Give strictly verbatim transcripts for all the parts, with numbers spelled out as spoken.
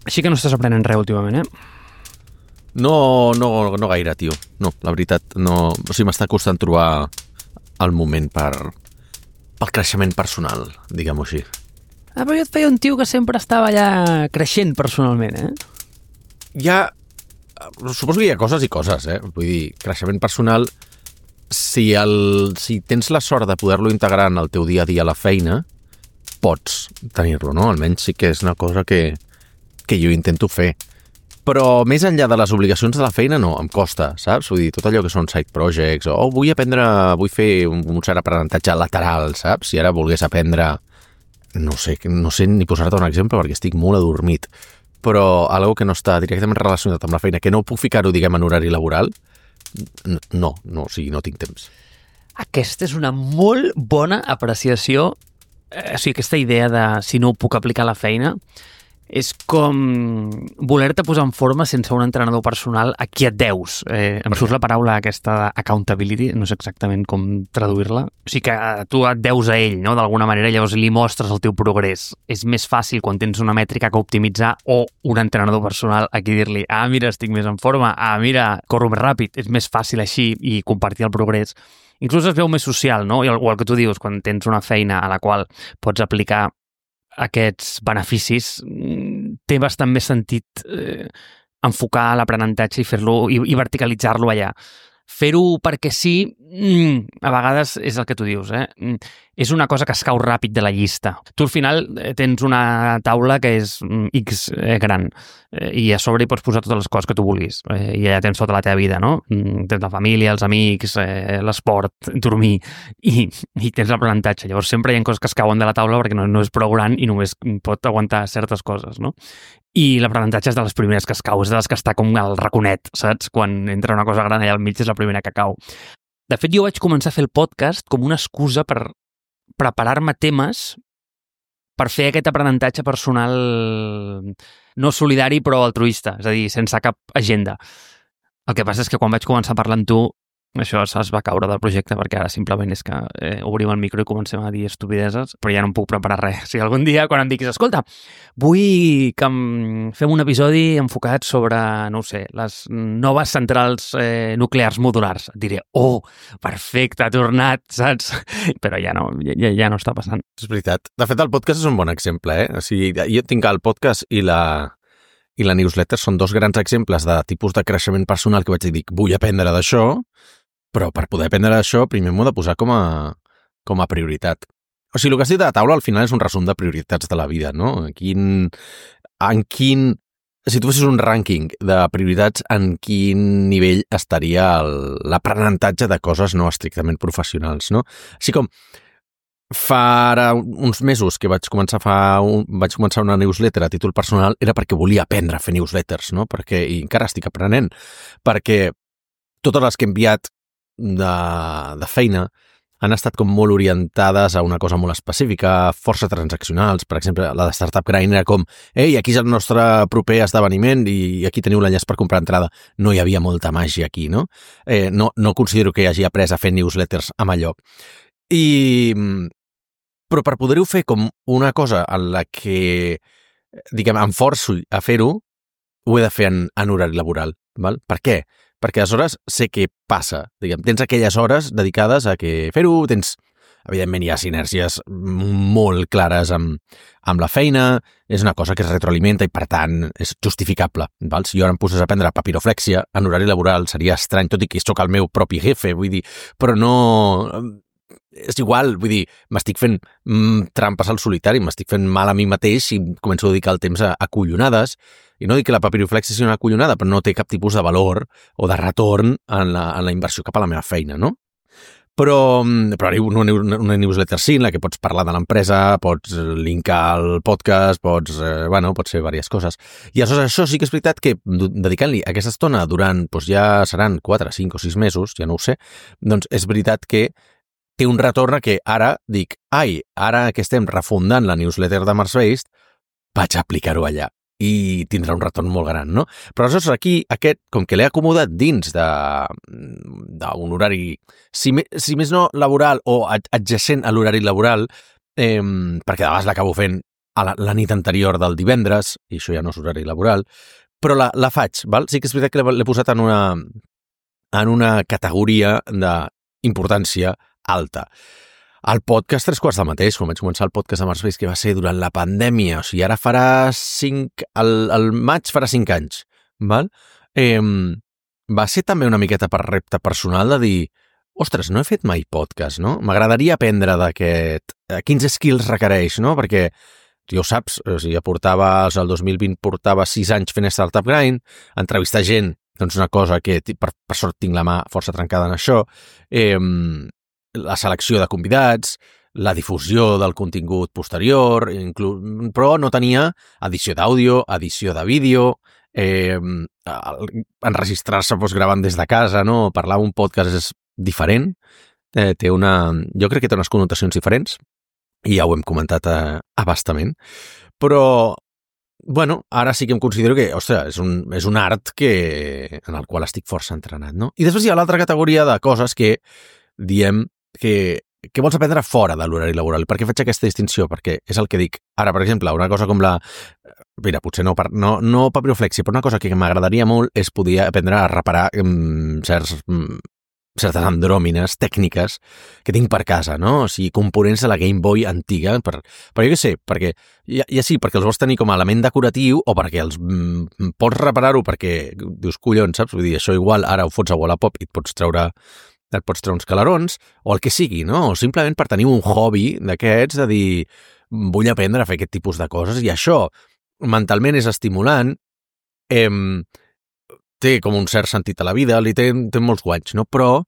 Així que no estàs aprenent res últimament, eh? No, no, no gaire, tio. No, la veritat, no... O sigui, m'està costant trobar el moment per... pel creixement personal, diguem-ho així. Ah, però jo et feia un tio que sempre estava allà creixent personalment, eh? Hi ha... Suposo que hi ha coses i coses, eh? Vull dir, creixement personal... Si, el, si tens la sort de poder-lo integrar en el teu dia a dia a la feina, pots tenir-lo, no? Almenys sí que és una cosa que, que jo intento fer. Però més enllà de les obligacions de la feina, no, em costa, saps? Vull dir, tot allò que són side projects, o oh, vull aprendre, vull fer un, un cert aprenentatge lateral, saps? Si ara volgués aprendre, no sé, no sé ni posar-te un exemple perquè estic molt adormit, però algo que no està directament relacionat amb la feina, que no puc ficar-ho, diguem, en horari laboral, no, no, o sigui, no tinc temps. Aquesta és una molt bona apreciació, eh, o sigui, aquesta idea de si no ho puc aplicar a la feina, és com voler-te posar en forma sense un entrenador personal a qui et deus. Eh, em surt la paraula aquesta d'accountability, no sé exactament com traduir-la. O sigui que tu et deus a ell, no?, d'alguna manera, llavors li mostres el teu progrés. És més fàcil quan tens una mètrica que optimitzar o un entrenador personal a qui dir-li ah, mira, estic més en forma, ah, mira, corro més ràpid. És més fàcil així i compartir el progrés. Inclús es veu més social, no? O el que tu dius, quan tens una feina a la qual pots aplicar aquests beneficis, té bastant més sentit eh, enfocar l'aprenentatge i fer-lo i, i verticalitzar-lo allà. Fer-ho perquè sí, mm, a vegades és el que tu dius, eh? Mm, és una cosa que es cau ràpid de la llista. Tu al final tens una taula que és mm, X eh, gran eh, i a sobre hi pots posar totes les coses que tu vulguis eh, i allà tens tota la teva vida, no? Mm, tens la família, els amics, eh, l'esport, dormir i, i tens l'aprenentatge. Llavors sempre hi ha coses que es cauen de la taula perquè no, no és prou gran i només pot aguantar certes coses, no? I l'aprenentatge és de les primeres que es cau, és de les que està com el raconet, saps? Quan entra una cosa gran allà al mig és la primera que cau. De fet, jo vaig començar a fer el podcast com una excusa per preparar-me temes per fer aquest aprenentatge personal no solidari però altruista, és a dir, sense cap agenda. El que passa és que quan vaig començar a parlar amb tu, això es va caure del projecte perquè ara simplement és que eh, obrim el micro i comencem a dir estupideses, però ja no em puc preparar res. O sigui, algun dia quan em diguis, escolta, vull que em fem un episodi enfocat sobre, no ho sé, les noves centrals eh, nuclears modulars. Et diré, oh, perfecte, ha tornat, saps? Però ja no, ja, ja no està passant. És veritat. De fet, el podcast és un bon exemple, eh? O sigui, jo tinc el podcast i la... i la newsletter són dos grans exemples de tipus de creixement personal que vaig dir, vull aprendre d'això, però per poder aprendre això primer m'ho he de posar com a, com a prioritat. O sigui, el que has dit de la taula al final és un resum de prioritats de la vida, no? Quin, en quin... Si tu fessis un rànquing de prioritats, en quin nivell estaria l'aprenentatge de coses no estrictament professionals, no? Així com fa uns mesos que vaig començar a fa un, vaig començar una newsletter a títol personal era perquè volia aprendre a fer newsletters, no? Perquè, i encara estic aprenent, perquè totes les que he enviat de, de feina han estat com molt orientades a una cosa molt específica, força transaccionals. Per exemple, la de Startup Grind era com ei, aquí és el nostre proper esdeveniment i aquí teniu l'enllaç per comprar entrada. No hi havia molta màgia aquí, no? Eh, no, no considero que hagi après a fer newsletters amb allò. I... Però per poder-ho fer com una cosa en la que, diguem, em forço a fer-ho, ho he de fer en, en horari laboral. Val? Per què? Perquè aleshores sé què passa. Diguem, tens aquelles hores dedicades a que fer-ho, tens, evidentment hi ha sinèrgies molt clares amb, amb la feina, és una cosa que es retroalimenta i per tant és justificable. Val? Si jo ara em posés a aprendre papiroflèxia en horari laboral seria estrany, tot i que sóc el meu propi jefe, vull dir, però no... És igual, vull dir, m'estic fent mm, trampes al solitari, m'estic fent mal a mi mateix i començo a dedicar el temps a, a collonades. I no dic que la papiroflèxia sigui una collonada, però no té cap tipus de valor o de retorn en la, en la inversió cap a la meva feina, no? Però, però una, una newsletter sí, en la que pots parlar de l'empresa, pots linkar el podcast, pots, eh, bueno, pots fer diverses coses. I aleshores això sí que és veritat que dedicant-li aquesta estona durant, doncs ja seran quatre, cinc o sis mesos, ja no ho sé, doncs és veritat que té un retorn que ara dic, ai, ara que estem refundant la newsletter de Mars Based, vaig aplicar-ho allà i tindrà un retorn molt gran, no? Però aleshores aquí, aquest, com que l'he acomodat dins d'un horari, si, me, si més no laboral o adjacent a l'horari laboral, eh, perquè de vegades l'acabo fent a la, la nit anterior del divendres, i això ja no és horari laboral, però la, la faig, val? Sí que és veritat que l'he posat en una, en una categoria d'importància alta. El podcast, tres quarts del mateix, quan vaig començar el podcast de Marspace, que va ser durant la pandèmia, o sigui, ara farà cinc... El, el maig farà cinc anys, val? Eh, va ser també una miqueta per repte personal de dir, ostres, no he fet mai podcast, no? M'agradaria aprendre d'aquest... Quins skills requereix, no? Perquè, ja ho saps, o sigui, portava, el dos mil vint portava sis anys fent Startup Grind, entrevistar gent, doncs una cosa que per, per sort tinc la mà força trencada en això, eh, la selecció de convidats, la difusió del contingut posterior, inclús, però no tenia edició d'àudio, edició de vídeo, eh, enregistrar-se doncs, gravant des de casa, no? Parlar un podcast és diferent, eh, té una, jo crec que té unes connotacions diferents, i ja ho hem comentat a, a bastament, però bueno, ara sí que em considero que, ostres, és un, és un art que, en el qual estic força entrenat, no? I després hi ha l'altra categoria de coses que diem que, que vols aprendre fora de l'horari laboral. Per què faig aquesta distinció? Perquè és el que dic. Ara, per exemple, una cosa com la... Mira, potser no, no, no papiroflexia, però una cosa que m'agradaria molt és poder aprendre a reparar um, certs, um, certes andròmines tècniques que tinc per casa, no? O sigui, components de la Game Boy antiga. Per, però jo què sé, perquè ja, ja sí, perquè els vols tenir com a element decoratiu o perquè els um, pots reparar-ho perquè dius, collons, saps? Vull dir, això igual ara ho fots a Wallapop i et pots treure... et pots treure uns calarons, o el que sigui, no? O simplement per tenir un hobby d'aquests, de dir, vull aprendre a fer aquest tipus de coses, i això mentalment és estimulant, eh, té com un cert sentit a la vida, li té, té molts guanys, no? Però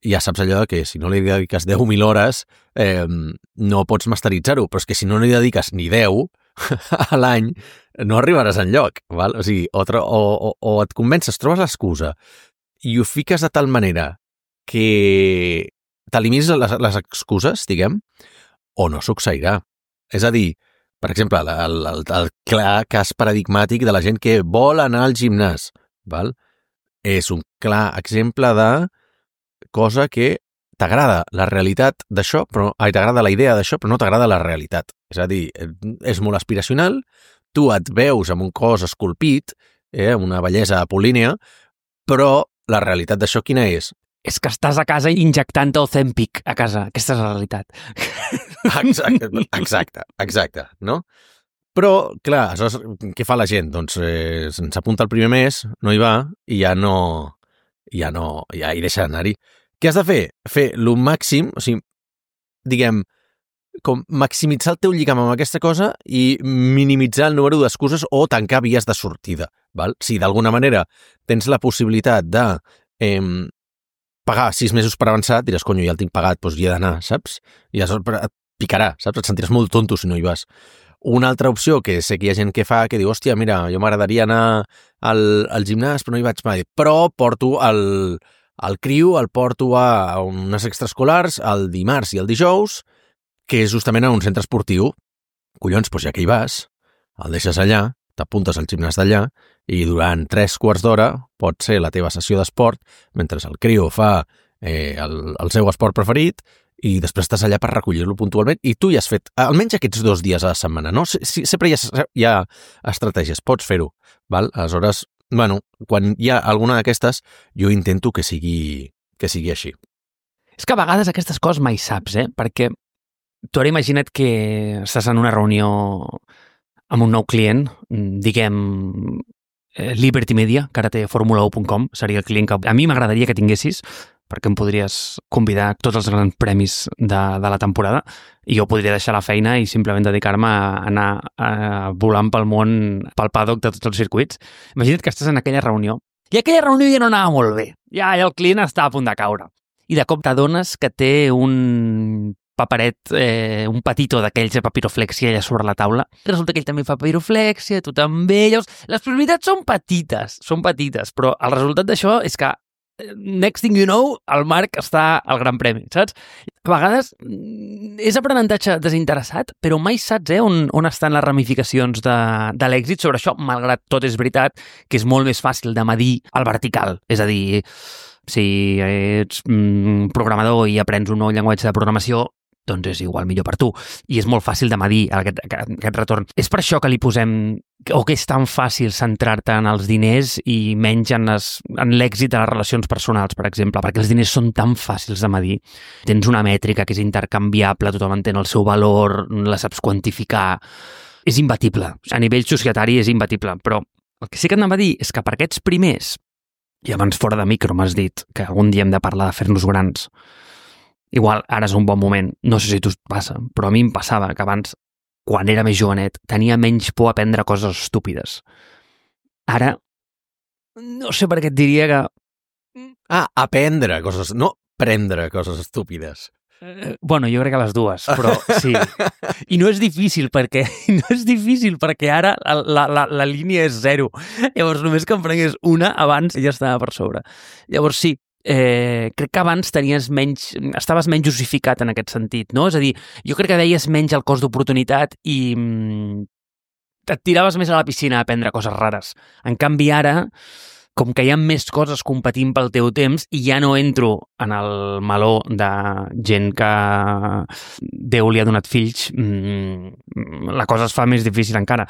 ja saps allò que si no li dediques deu mil hores, eh, no pots masteritzar-ho, però és que si no li dediques ni deu a l'any, no arribaràs enlloc, val? O sigui, o, o, o, o et convences, trobes l'excusa, i ho fiques de tal manera que t'eliminis les, les excuses, diguem, o no succeirà. És a dir, per exemple, el, el, el clar cas paradigmàtic de la gent que vol anar al gimnàs, val? És un clar exemple de cosa que t'agrada la realitat d'això, però ai, t'agrada la idea d'això, però no t'agrada la realitat. És a dir, és molt aspiracional, tu et veus amb un cos esculpit, eh, una bellesa apol·línea, però la realitat d'això quina és? És que estàs a casa injectant Ozempic a casa. Aquesta és la realitat. Exacte, exacte, exacte, no? Però, clar, aleshores, què fa la gent? Doncs eh, se'ns apunta el primer mes, no hi va, i ja no... ja no... ja hi deixa d'anar-hi. Què has de fer? Fer el màxim, o sigui, diguem, com maximitzar el teu lligam amb aquesta cosa i minimitzar el número d'excuses o tancar vies de sortida, val? Si d'alguna manera tens la possibilitat de... Eh, pagar sis mesos per avançat, diràs, conyo, ja el tinc pagat, doncs hi he d'anar, saps? I et picarà, saps? Et sentiràs molt tonto si no hi vas. Una altra opció que sé que hi ha gent que fa, que diu, hòstia, mira, jo m'agradaria anar al, al gimnàs, però no hi vaig mai. Però porto el, el criu, el porto a unes extraescolars el dimarts i el dijous, que és justament a un centre esportiu. Collons, doncs ja que hi vas, el deixes allà, t'apuntes al gimnàs d'allà i durant tres quarts d'hora pot ser la teva sessió d'esport mentre el criu fa eh, el, el seu esport preferit i després estàs allà per recollir-lo puntualment i tu ja has fet almenys aquests dos dies a la setmana, no? Si, sempre hi ha, hi ha estratègies, pots fer-ho, val? Aleshores, bueno, quan hi ha alguna d'aquestes, jo intento que sigui, que sigui així. És que a vegades aquestes coses mai saps, eh? Perquè tu ara imagina't que estàs en una reunió amb un nou client, diguem Liberty Media, que ara té Formula u punt com, seria el client que a mi m'agradaria que tinguessis, perquè em podries convidar tots els grans premis de, de la temporada i jo podria deixar la feina i simplement dedicar-me a anar a, volant pel món, pel paddock de tots els circuits. Imagina't que estàs en aquella reunió i aquella reunió ja no anava molt bé, ja el client està a punt de caure i de cop t'adones que té un paperet, eh, un petitó d'aquells de papiroflèxia allà sobre la taula. Resulta que ell també fa papiroflèxia, tu també. Llavors, les probabilitats són petites, són petites, però el resultat d'això és que next thing you know, el Marc està al Gran Premi, saps? A vegades és aprenentatge desinteressat, però mai saps eh, on, on estan les ramificacions de, de l'èxit sobre això, malgrat tot és veritat que és molt més fàcil de medir el vertical. És a dir, si ets mm, programador i aprens un nou llenguatge de programació, doncs és igual millor per tu. I és molt fàcil de medir aquest, aquest retorn. És per això que li posem, o que és tan fàcil centrar-te en els diners i menys en, les, en l'èxit de les relacions personals, per exemple, perquè els diners són tan fàcils de medir. Tens una mètrica que és intercanviable, tothom entén el seu valor, la saps quantificar. És imbatible. A nivell societari és imbatible, però el que sí que anava a dir és que per aquests primers, i abans fora de micro m'has dit que algun dia hem de parlar de fer-nos grans, igual ara és un bon moment, no sé si tu et passa, però a mi em passava que abans, quan era més jovenet, tenia menys por a aprendre coses estúpides. Ara, no sé per què et diria que... Ah, aprendre coses, no prendre coses estúpides. Eh, bueno, jo crec que les dues, però sí. I no és difícil perquè no és difícil perquè ara la, la, la línia és zero. Llavors, només que em prengués una, abans ja estava per sobre. Llavors, sí, Eh, crec que abans tenies menys, estaves menys justificat en aquest sentit, no? És a dir, jo crec que veies menys el cost d'oportunitat i mm, et tiraves més a la piscina a aprendre coses rares. En canvi, ara, com que hi ha més coses competint pel teu temps i ja no entro en el meló de gent que Déu li ha donat fills, mmm, la cosa es fa més difícil encara.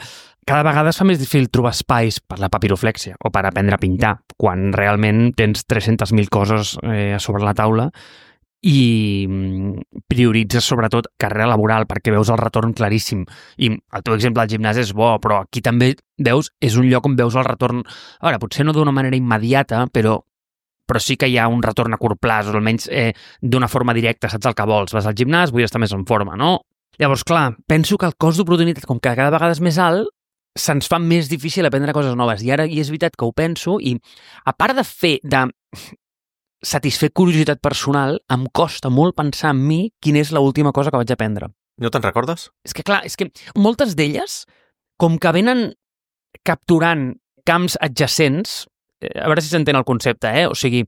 Cada vegada es fa més difícil trobar espais per la papiroflèxia o per aprendre a pintar, quan realment tens tres-centes mil coses eh, a sobre la taula i prioritzes sobretot carrera laboral perquè veus el retorn claríssim. I el teu exemple al gimnàs és bo, però aquí també veus, és un lloc on veus el retorn, a veure, potser no d'una manera immediata, però però sí que hi ha un retorn a curt plaç, o almenys eh, d'una forma directa, saps el que vols. Vas al gimnàs, vull estar més en forma, no? Llavors, clar, penso que el cost d'oportunitat, com que cada vegada és més alt, se'ns fa més difícil aprendre coses noves. I ara i és veritat que ho penso i a part de fer, de satisfer curiositat personal, em costa molt pensar en mi quina és l'última cosa que vaig aprendre. No te'n recordes? És que clar, és que moltes d'elles, com que venen capturant camps adjacents, a veure si s'entén el concepte, eh? O sigui,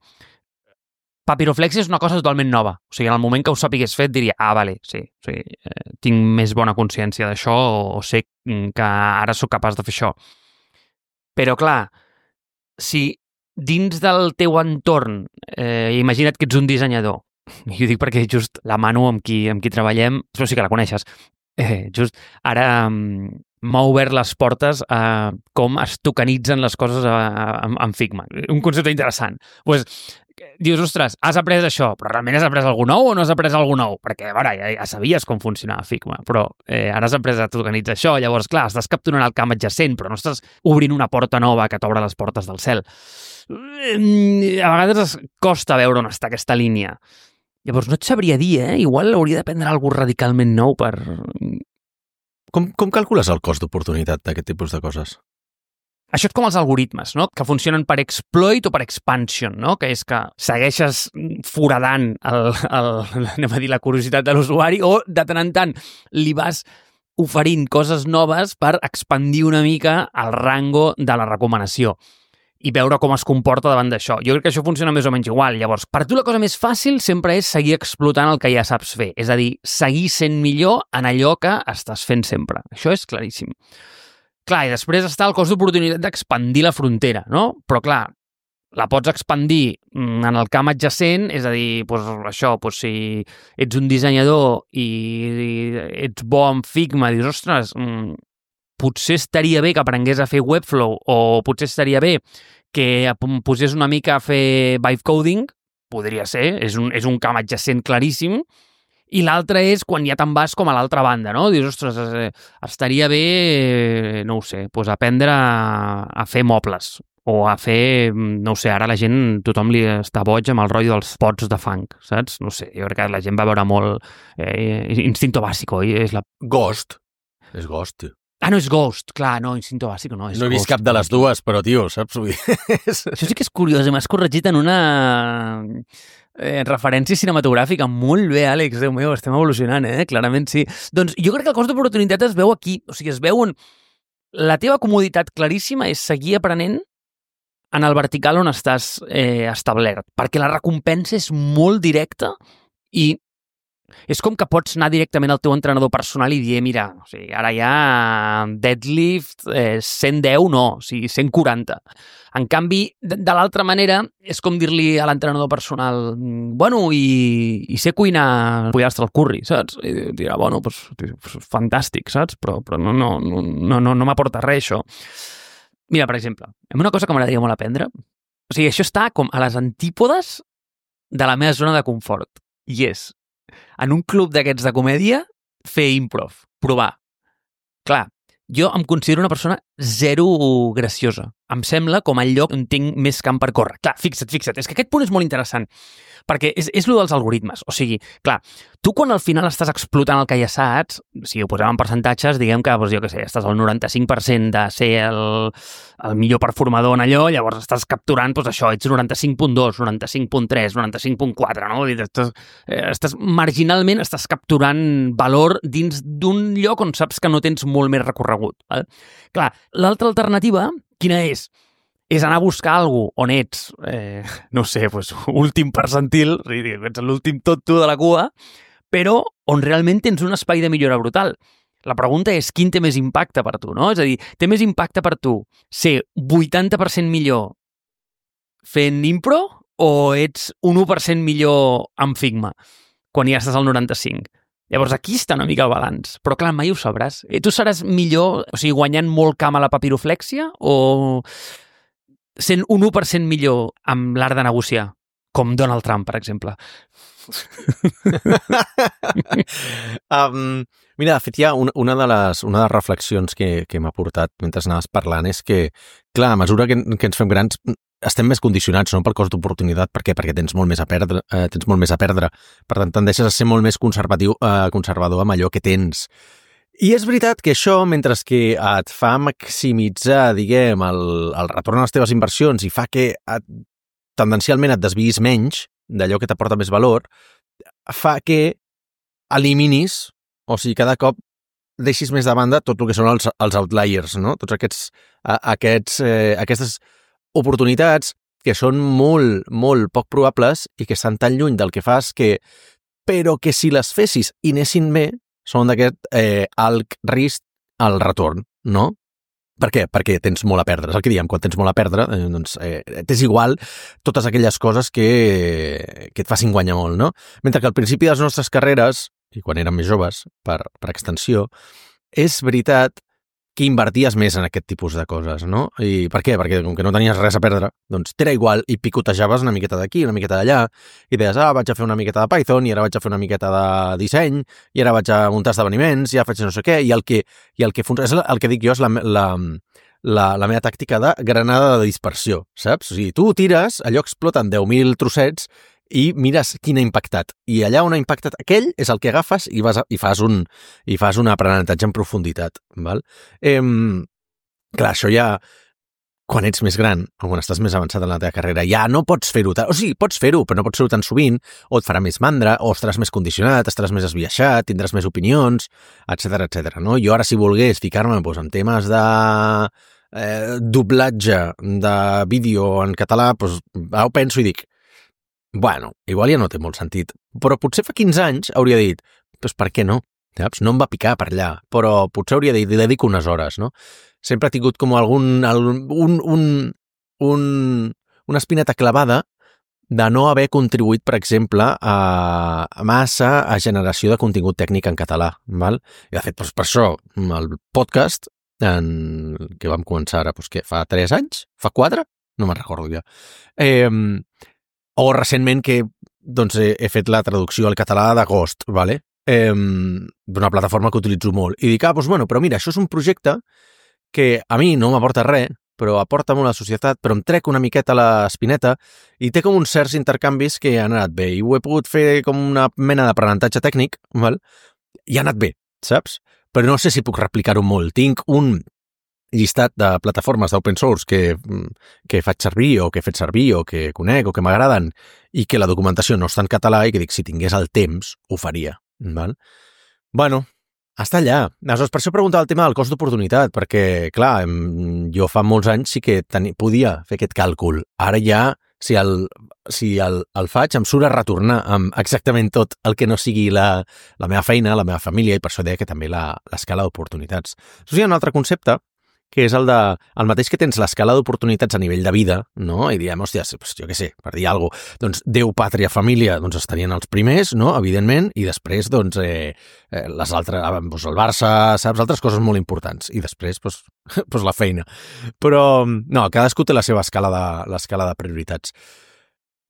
papiroflèxia és una cosa totalment nova. O sigui, en el moment que ho sapigués fet diria, ah, vale, sí, sí eh, tinc més bona consciència d'això o, o sé que ara sóc capaç de fer això. Però, clar, si dins del teu entorn, eh, imagina't que ets un dissenyador, i ho dic perquè just la Manu amb qui, amb qui treballem, però sí que la coneixes, eh, just ara um, m'ha obert les portes a com es tokenitzen les coses a, a, en Figma. Un concepte interessant. Pues, dius, ostres, has après això, però realment has après alguna nou o no has après alguna nou? Perquè, a veure, ja, ja sabies com funcionava Figma, però eh, ara has après a tokenitzar això, llavors, clar, estàs capturant el camp adjacent, però no estàs obrint una porta nova que t'obre les portes del cel. A vegades costa veure on està aquesta línia. Llavors, no et sabria dir, eh? Igual hauria d'aprendre alguna cosa radicalment nou per... Com, com calcules el cost d'oportunitat d'aquest tipus de coses? Això és com els algoritmes, no? Que funcionen per exploit o per expansion, no? Que és que segueixes foradant el, el, anem a dir, la curiositat de l'usuari o de tant en tant li vas oferint coses noves per expandir una mica el rango de la recomanació i veure com es comporta davant d'això. Jo crec que això funciona més o menys igual. Llavors, per tu la cosa més fàcil sempre és seguir explotant el que ja saps fer. És a dir, seguir sent millor en allò que estàs fent sempre. Això és claríssim. Clar, i després està el cost d'oportunitat d'expandir la frontera, no? Però clar, la pots expandir en el camp adjacent, és a dir, doncs això, doncs si ets un dissenyador i ets bo en Figma, dius, ostres, potser estaria bé que aprengués a fer Webflow o potser estaria bé que em posés una mica a fer vibe coding, podria ser, és un, és un camp adjacent claríssim, i l'altre és quan ja te'n vas com a l'altra banda, no? Dius, ostres, estaria bé, no ho sé, doncs aprendre a, a fer mobles o a fer, no ho sé, ara la gent, tothom li està boig amb el rotllo dels pots de funk, saps? No sé, jo crec que la gent va veure molt eh, Instinto Básico. És la... Ghost. És Ghost, tio. Ah, no, és Ghost, clar, no, Instinto Básico no, és No he vist Ghost, cap de les dues, però, tio, saps? Això sí que és curiós, m'has corregit en una eh, referència cinematogràfica. Molt bé, Àlex, Déu meu, estem evolucionant, eh? Clarament sí. Doncs jo crec que el cost d'oportunitat es veu aquí, o sigui, es veu en... La teva comoditat claríssima és seguir aprenent en el vertical on estàs eh, establert, perquè la recompensa és molt directa i És com que pots anar directament al teu entrenador personal i dir, mira, o sigui, ara hi ha deadlift eh, cent deu, no, o sigui, cent quaranta. En canvi, de, de l'altra manera, és com dir-li a l'entrenador personal, bueno, i, i sé cuinar pollastre al curri, saps? I dirà, bueno, pues, pues fantàstic, saps? Però, però no, no, no, no, no, no m'aporta res, això. Mira, per exemple, una cosa que m'agradaria molt aprendre, o sigui, això està com a les antípodes de la meva zona de confort, i és en un club d'aquests de comèdia, fer improv, provar. Clar, jo em considero una persona zero graciosa. Em sembla com el lloc on tinc més camp per córrer. Clar, fixa't, fixa't, és que aquest punt és molt interessant, perquè és, és lo dels algoritmes. O sigui, clar, tu quan al final estàs explotant el que ja saps, si ho posem en percentatges, diguem que, doncs, jo què sé, estàs al noranta-cinc per cent de ser el, el millor performador en allò, llavors estàs capturant, doncs això, ets noranta-cinc punt dos, noranta-cinc punt tres, noranta-cinc punt quatre, no? Estàs, eh, estàs, marginalment estàs capturant valor dins d'un lloc on saps que no tens molt més recorregut. Val? Clar, l'altra alternativa, quina és? És anar a buscar alguna cosa on ets, eh, no sé, pues, últim percentil, ets l'últim tonto de la cua, però on realment tens un espai de millora brutal. La pregunta és quin té més impacte per tu, no? És a dir, té més impacte per tu ser vuitanta per cent millor fent impro o ets un u per cent millor amb Figma quan ja estàs al noranta-cinc? Llavors aquí està una mica el balanç, però clar, mai ho sabràs. Tu seràs millor, o sigui, guanyant molt camp a la papiroflèxia o sent un u per cent millor amb l'art de negociar, com Donald Trump, per exemple? um, mira, de fet, hi ha una, una, de les, una de les reflexions que, que m'ha portat mentre anaves parlant és que, clar, a mesura que, que ens fem grans, estem més condicionats, no?, pel cost d'oportunitat. Per què? Perquè tens molt més a perdre, eh, tens molt més a perdre. Per tant, tendeixes a ser molt més conservatiu, eh, conservador amb allò que tens. I és veritat que això, mentre que et fa maximitzar, diguem, el, el retorn a les teves inversions i fa que et, tendencialment et desviïs menys d'allò que t'aporta més valor, fa que eliminis, o sigui, cada cop deixis més de banda tot el que són els, els outliers, no? Tots aquests, a, aquests, eh, aquestes oportunitats que són molt, molt poc probables i que estan tan lluny del que fas que, però que si les fessis i anessin bé, són d'aquest eh, alt risc al retorn, no? Per què? Perquè tens molt a perdre. És el que diem, quan tens molt a perdre, eh, doncs eh, t'és igual totes aquelles coses que, que et facin guanyar molt, no? Mentre que al principi de les nostres carreres, i quan érem més joves, per, per extensió, és veritat que inverties més en aquest tipus de coses, no? I per què? Perquè com que no tenies res a perdre, doncs t'era igual i picotejaves una miqueta d'aquí, una miqueta d'allà, i deies, ah, vaig a fer una miqueta de Python, i ara vaig a fer una miqueta de disseny, i ara vaig a muntar esdeveniments, i ara faig no sé què, i el que, i el que funciona, el que dic jo és la, la, la, la meva tàctica de granada de dispersió, saps? O sigui, tu tires, allò explota en deu mil trossets, i mires quin ha impactat. I allà on ha impactat aquell és el que agafes i, vas a, i, fas, un, i fas un aprenentatge en profunditat. Val? Eh, clar, això ja, quan ets més gran, o quan estàs més avançat en la teva carrera, ja no pots fer-ho tant. O sigui, pots fer-ho, però no pots fer-ho tan sovint, o et farà més mandra, o estaràs més condicionat, estaràs més esbiaixat, tindràs més opinions, etcètera, etcètera. No? Jo ara, si volgués ficar-me doncs, en temes de eh, doblatge de vídeo en català, doncs, ara ho penso i dic, bueno, igual ja no té molt sentit, però potser fa quinze anys hauria dit, doncs per què no? Saps? No em va picar per allà, però potser hauria dit, li dedico unes hores, no? Sempre ha tingut com algun, algun un, un, un, una espineta clavada de no haver contribuït, per exemple, a, a massa a generació de contingut tècnic en català, val? I de fet, doncs per això, el podcast, en, que vam començar ara, doncs què, fa tres anys? Fa quatre? No me'n recordo ja. Eh, O recentment que doncs, he, he fet la traducció al català d'Agost, vale? eh, d'una plataforma que utilitzo molt. I dic, ah, doncs bueno, però mira, això és un projecte que a mi no m'aporta res, però aporta molt a la societat, però em trec una miqueta l'espineta i té com uns certs intercanvis que han anat bé. I ho he pogut fer com una mena d'aprenentatge tècnic, val? I ha anat bé, saps? Però no sé si puc replicar-ho molt. Tinc un llistat de plataformes d'open source que, que faig servir o que he fet servir o que conec o que m'agraden i que la documentació no està en català i que dic, si tingués el temps, ho faria. Val? Bueno, està allà. Aleshores, per això preguntava el tema del cost d'oportunitat, perquè, clar, jo fa molts anys sí que tenia, podia fer aquest càlcul. Ara ja si el, si el, el faig, em surt a retornar amb exactament tot el que no sigui la, la meva feina, la meva família, i per això deia que també la, l'escala d'oportunitats. Això sí, hi ha un altre concepte, que és el de, el mateix que tens l'escala d'oportunitats a nivell de vida, no? I diem, hòstia, pues, jo què sé, per dir alguna cosa, doncs Déu, pàtria, família, doncs estarien els primers, no? Evidentment, i després, doncs, eh, eh, les altres, doncs el Barça, saps? Altres coses molt importants. I després, doncs, doncs la feina. Però, no, cadascú té la seva escala de, l'escala de prioritats.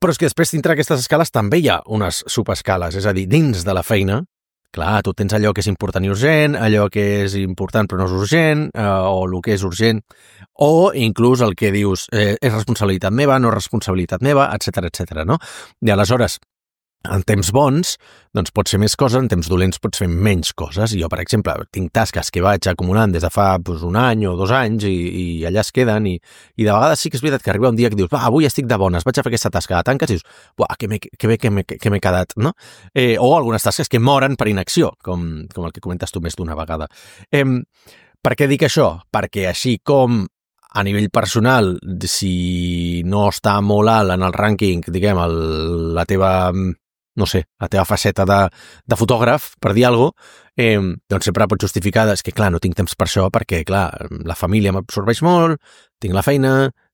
Però és que després, dintre d'aquestes escales, també hi ha unes subescales, és a dir, dins de la feina, clar, tu tens allò que és important i urgent, allò que és important però no és urgent, eh, o el que és urgent, o inclús el que dius eh, és responsabilitat meva, no és responsabilitat meva, etcètera, etcètera, no? I aleshores, en temps bons, doncs pots fer més coses, en temps dolents pots fer menys coses. Jo, per exemple, tinc tasques que vaig acumulant des de fa doncs, un any o dos anys i, i allà es queden i, i de vegades sí que és veritat que arriba un dia que dius, va, avui estic de bones, vaig a fer aquesta tasca, la tanques i dius, buah, que, me, que bé que m'he que m'he quedat, no? Eh, o algunes tasques que moren per inacció, com, com el que comentes tu més d'una vegada. Eh, per què dic això? Perquè així com a nivell personal, si no està molt alt en el rànquing, diguem, el, la teva no sé, la teva faceta de, de fotògraf, per dir alguna cosa, eh, doncs sempre pots justificar, és que clar, no tinc temps per això perquè, clar, la família m'absorbeix molt, tinc la feina,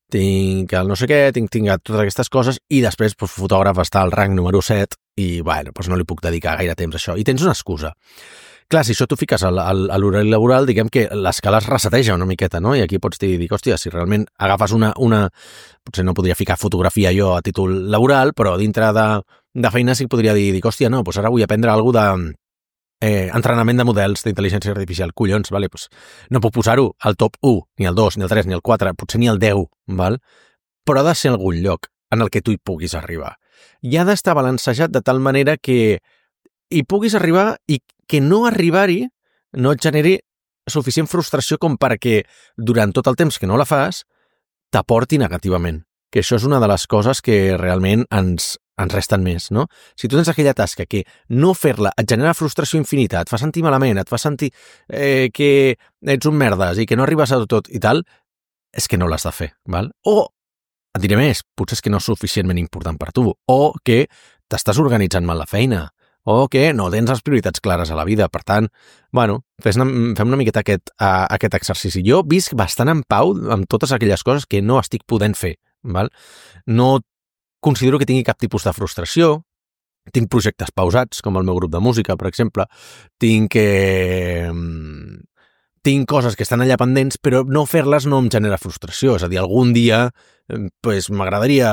tinc el no sé què, tinc, tinc totes aquestes coses, i després doncs, fotògraf està al rang número set i, bueno, doncs no li puc dedicar gaire temps a això. I tens una excusa. Clar, si això t'ho fiques a l'horari laboral, diguem que l'escala es reseteja una miqueta, no? I aquí pots dir, hòstia, si realment agafes una, una... Potser no podria ficar fotografia jo a títol laboral, però dintre de, de feina sí que podria dir, dic, hòstia, no, doncs ara vull aprendre alguna cosa de eh, entrenament de models d'intel·ligència artificial. Collons, vale, doncs no puc posar-ho al top u, ni al dos, ni al tres, ni al quatre, potser ni al deu, val? Però ha de ser algun lloc en el que tu hi puguis arribar. I ha d'estar balancejat de tal manera que hi puguis arribar i que no arribar-hi no et generi suficient frustració com perquè durant tot el temps que no la fas t'aporti negativament. Que això és una de les coses que realment ens, ens resten més, no? Si tu tens aquella tasca que no fer-la et genera frustració infinita, et fa sentir malament, et fa sentir eh, que ets un merdes i que no arribes a tot i tal, és que no l'has de fer, val? O, et diré més, potser és que no és suficientment important per tu, o que t'estàs organitzant mal la feina, o que no tens les prioritats clares a la vida. Per tant, bueno, fes una, fem una miqueta aquest, uh, aquest exercici. Jo visc bastant en pau amb totes aquelles coses que no estic podent fer. Val? No considero que tingui cap tipus de frustració. Tinc projectes pausats, com el meu grup de música, per exemple. Tinc... Eh, tinc coses que estan allà pendents, però no fer-les no em genera frustració. És a dir, algun dia pues, m'agradaria,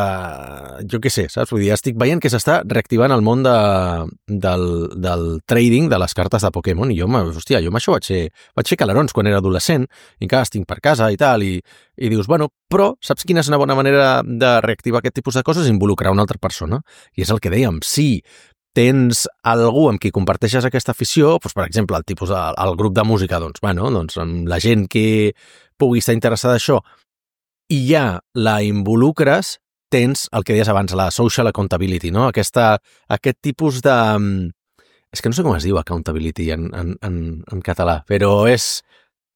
jo què sé, saps? Vull dir, estic veient que s'està reactivant el món de, del, del trading de les cartes de Pokémon i jo, hòstia, jo amb això vaig fer, vaig fer calarons quan era adolescent i encara estic per casa i tal, i, i dius, bueno, però saps quina és una bona manera de reactivar aquest tipus de coses? Involucrar una altra persona. I és el que dèiem, sí, tens algú amb qui comparteixes aquesta afició, doncs, per exemple, el tipus de, el grup de música, doncs, bueno, doncs, amb la gent que pugui estar interessada en això, i ja la involucres, tens el que deies abans, la social accountability, no? Aquesta, aquest tipus de... És que no sé com es diu accountability en, en, en, en català, però és...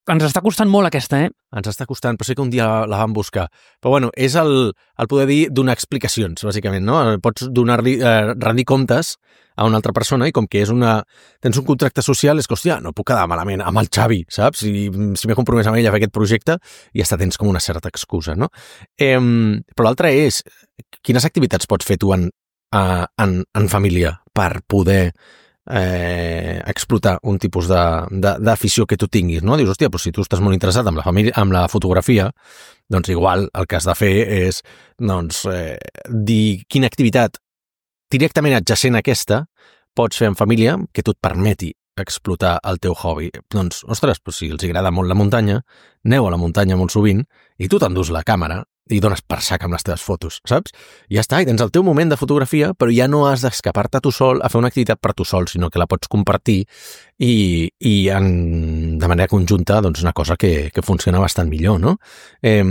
Ens està costant molt aquesta, eh? Ens està costant, però sé que un dia la, la vam buscar. Però bueno, és el, el poder dir donar explicacions, bàsicament, no? Pots donar-li, eh, rendir comptes a una altra persona i com que és una... Tens un contracte social, és que, hòstia, no puc quedar malament amb el Xavi, saps? Si, si m'he compromès amb ell a fer aquest projecte, i ja tens com una certa excusa, no? Eh, però l'altre és, quines activitats pots fer tu en, en, en família per poder... Eh, explotar un tipus d'afició que tu tinguis, no? Dius, hòstia, però si tu estàs molt interessat amb la família, amb la fotografia, doncs igual el que has de fer és doncs, eh, dir quina activitat directament adjacent a aquesta pots fer en família que tu et permeti explotar el teu hobby. Doncs, ostres, doncs si els agrada molt la muntanya, aneu a la muntanya molt sovint i tu t'endús la càmera i dones per sac amb les teves fotos, saps? I ja està, i tens el teu moment de fotografia, però ja no has d'escapar-te tu sol a fer una activitat per tu sol, sinó que la pots compartir i, i en, de manera conjunta, doncs una cosa que, que funciona bastant millor, no? Eh,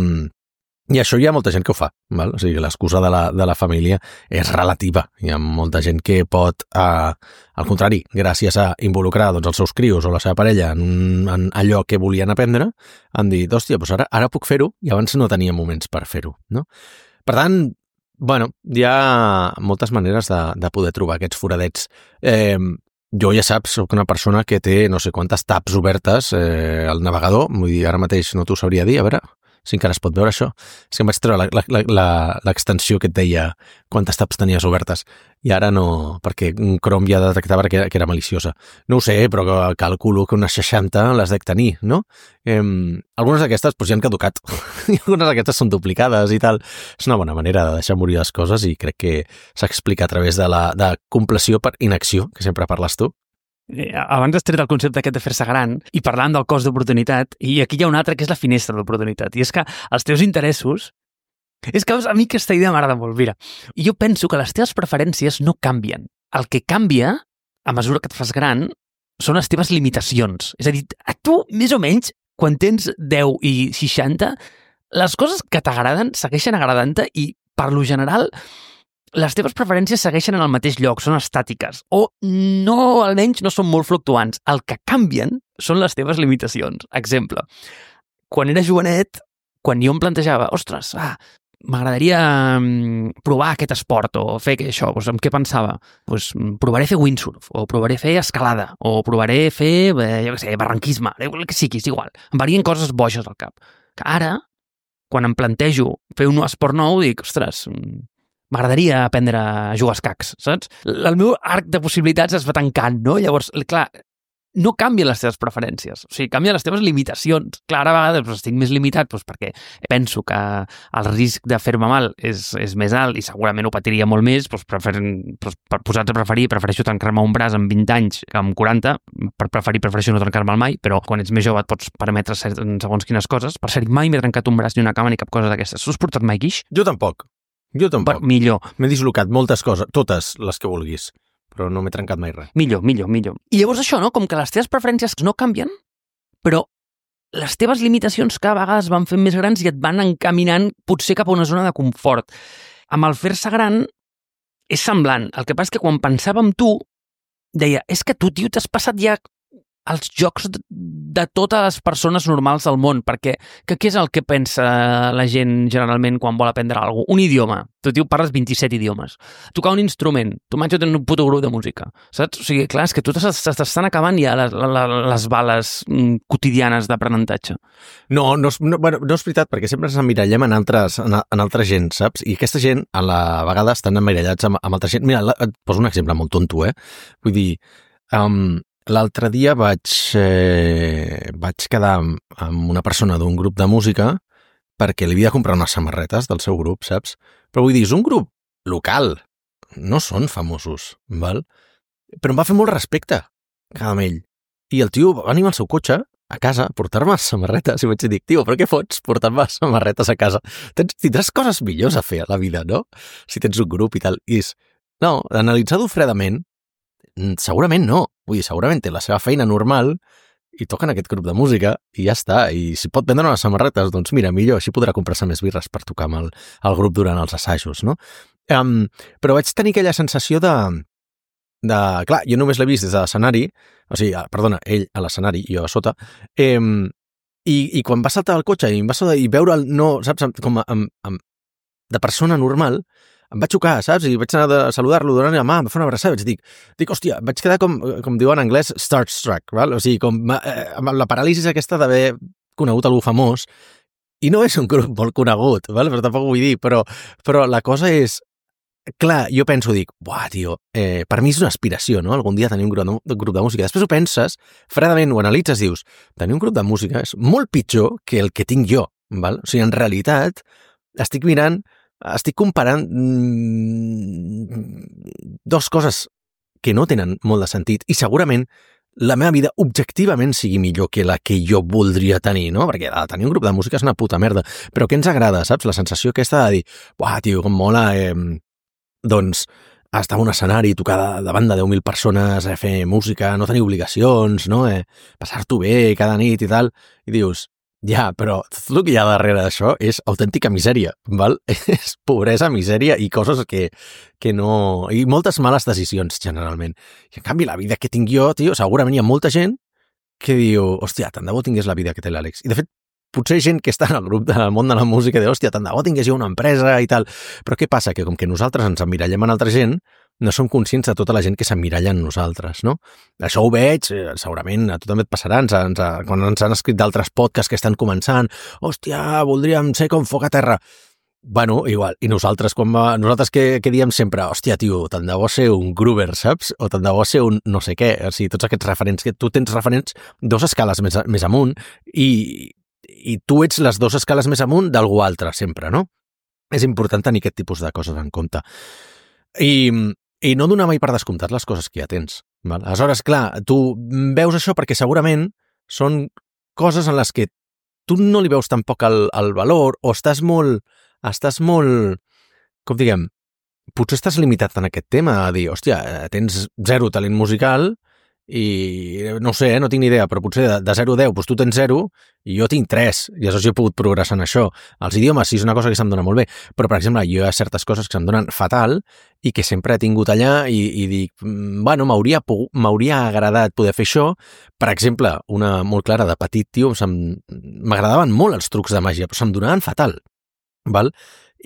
I això hi ha molta gent que ho fa, val? O sigui, l'excusa de la, de la família és relativa. Hi ha molta gent que pot, eh, al contrari, gràcies a involucrar doncs, els seus crios o la seva parella en, en allò que volien aprendre, han dit, hòstia, doncs ara, ara puc fer-ho i abans no tenia moments per fer-ho, no? Per tant, Bueno, hi ha moltes maneres de, de poder trobar aquests foradets. Eh, jo, ja saps, soc una persona que té no sé quantes tabs obertes eh, al navegador, vull dir, ara mateix no t'ho sabria dir, a veure si encara es pot veure això. És que em vaig treure l'extensió que et deia quantes tabs tenies obertes, i ara no, perquè Chrome ja detectava que era, que era maliciosa. No ho sé, però calculo que unes seixanta les dec tenir, no? Eh, algunes d'aquestes doncs, ja han caducat, i algunes d'aquestes són duplicades i tal. És una bona manera de deixar morir les coses i crec que s'explica a través de la de compleció per inacció, que sempre parles tu. Abans has tret el concepte aquest de fer-se gran i parlant del cost d'oportunitat, i aquí hi ha un altre que és la finestra d'oportunitat, i és que els teus interessos... És que a mi aquesta idea m'agrada molt, mira. I jo penso que les teves preferències no canvien. El que canvia, a mesura que et fas gran, són les teves limitacions. És a dir, a tu, més o menys, quan tens deu i seixanta, les coses que t'agraden segueixen agradant-te i, per lo general, les teves preferències segueixen en el mateix lloc, són estàtiques, o no, almenys no són molt fluctuants. El que canvien són les teves limitacions. Exemple, quan era jovenet, quan jo em plantejava, ostres, ah, m'agradaria provar aquest esport o fer això, doncs en què pensava? Doncs provaré fer windsurf, o provaré fer escalada, o provaré fer, jo què sé, barranquisme, el que sigui, és igual. Em varien coses boixes al cap. Que ara, quan em plantejo fer un esport nou, dic, ostres, m'agradaria aprendre a jugar a escacs, saps? El meu arc de possibilitats es va tancant, no? Llavors, clar, no canvien les teves preferències, o sigui, canvien les teves limitacions. Clar, ara a vegades doncs, estic més limitat doncs, perquè penso que el risc de fer-me mal és, és més alt i segurament ho patiria molt més, doncs, prefer, doncs, per posar-te a preferir, prefereixo trencar-me un braç amb vint anys que amb quaranta, per preferir prefereixo no trencar-me'l mai, però quan ets més jove et pots permetre segons quines coses. Per cert, mai m'he trencat un braç ni una cama ni cap cosa d'aquestes. Tu has portat mai guix? Jo tampoc. Jo tampoc. Per, millor. M'he dislocat moltes coses, totes les que vulguis, però no m'he trencat mai res. Millor, millor, millor. I llavors això, no? Com que les teves preferències no canvien, però les teves limitacions cada vegada es van fent més grans i et van encaminant potser cap a una zona de confort. Amb el fer-se gran és semblant. El que passa és que quan pensava en tu, deia, és que tu, tio, t'has passat ja els jocs de, de totes les persones normals del món, perquè que, què és el que pensa la gent generalment quan vol aprendre alguna cosa? Un idioma. Tu, tio, parles vint-i-set idiomes. Tocar un instrument. Tu, macho, tens un puto grup de música. Saps? O sigui, clar, és que tu t'estan acabant ja les, les, les bales quotidianes d'aprenentatge. No, no, no, bueno, no és veritat, perquè sempre ens emmirallem en altres, en, en altra gent, saps? I aquesta gent, a la vegada, estan emmirallats amb, amb altra gent. Mira, et poso un exemple molt tonto, eh? Vull dir, um, l'altre dia vaig, eh, vaig quedar amb, amb una persona d'un grup de música perquè li havia de comprar unes samarretes del seu grup, saps? Però vull dir, és un grup local, no són famosos, val? Però em va fer molt respecte quedar amb ell. I el tio va venir amb el seu cotxe a casa a portar-me samarretes i vaig dir, tio, però què fots portar-me samarretes a casa? Tens, tindràs coses millors a fer a la vida, no? Si tens un grup i tal. I és, no, analitzar-ho fredament, segurament no. Vull dir, segurament té la seva feina normal i toca en aquest grup de música i ja està. I si pot vendre unes samarretes, doncs mira, millor, així podrà comprar-se més birres per tocar amb el, el grup durant els assajos, no? Um, però vaig tenir aquella sensació de... de clar, jo només l'he vist des de l'escenari, o sigui, perdona, ell a l'escenari i jo a sota, eh, i, i quan va saltar el cotxe i em va saltar i veure'l, no, saps, com a, amb, amb, de persona normal, em va xocar, saps? I vaig anar a saludar-lo, donar-li la mà, em va fer una abraçada, vaig dir, dic, hòstia, vaig quedar com, com diu en anglès, starstruck, val? O sigui, com eh, amb la paràlisi aquesta d'haver conegut algú famós, i no és un grup molt conegut, val? Però tampoc vull dir, però, però la cosa és, clar, jo penso, dic, buah, tio, eh, per mi és una aspiració, no? Algun dia tenir un grup, de, un grup de música. Després ho penses, fredament ho analitzes, dius, tenir un grup de música és molt pitjor que el que tinc jo, val? O sigui, en realitat, estic mirant estic comparant mmm, dos coses que no tenen molt de sentit i segurament la meva vida objectivament sigui millor que la que jo voldria tenir, no? Perquè tenir un grup de música és una puta merda, però què ens agrada, saps? La sensació aquesta de dir, uah, tio, com mola, eh, doncs, estar en un escenari, tocar davant de deu mil persones, eh, fer música, no tenir obligacions, no? Eh, passar-t'ho bé cada nit i tal, i dius, ja, però tot el que hi ha darrere d'això és autèntica misèria, val? És pobresa, misèria i coses que, que no... i moltes males decisions, generalment. I en canvi, la vida que tinc jo, tio, segurament hi ha molta gent que diu, hòstia, tant de bo tingués la vida que té l'Àlex. I de fet, potser gent que està en el grup del món de la música de, hòstia, tant de bo tingués jo una empresa i tal. Però què passa? Que com que nosaltres ens emmirallem en altra gent, no som conscients de tota la gent que s'emmiralla en nosaltres, no? Això ho veig, segurament a tu també et passarà, ens, ens, quan ens han escrit d'altres podcasts que estan començant, hòstia, voldríem ser com Foc a Terra. Bueno, igual, i nosaltres, quan va, nosaltres que, que diem sempre, hòstia, tio, tant de bo ser un Groover, saps? O tant de bo ser un no sé què, o sigui, tots aquests referents, que tu tens referents dos escales més, més amunt i, i tu ets les dues escales més amunt d'algú altre, sempre, no? És important tenir aquest tipus de coses en compte. I, i no donar mai per descomptat les coses que ja tens. Val? Aleshores, clar, tu veus això perquè segurament són coses en les que tu no li veus tampoc el, el valor o estàs molt estàs molt, com diguem, potser estàs limitat en aquest tema, a dir, hòstia, tens zero talent musical i no sé, no tinc ni idea, però potser de, de zero a deu, doncs tu tens zero i jo tinc tres, i aleshores jo he pogut progressar en això. Els idiomes sí és una cosa que se'm dona molt bé, però, per exemple, jo hi ha certes coses que se'm donen fatal i que sempre he tingut allà i, i dic, bueno, m'hauria m'hauria agradat poder fer això. Per exemple, una molt clara de petit, tio, m'agradaven molt els trucs de màgia, però se'm donaven fatal. Val?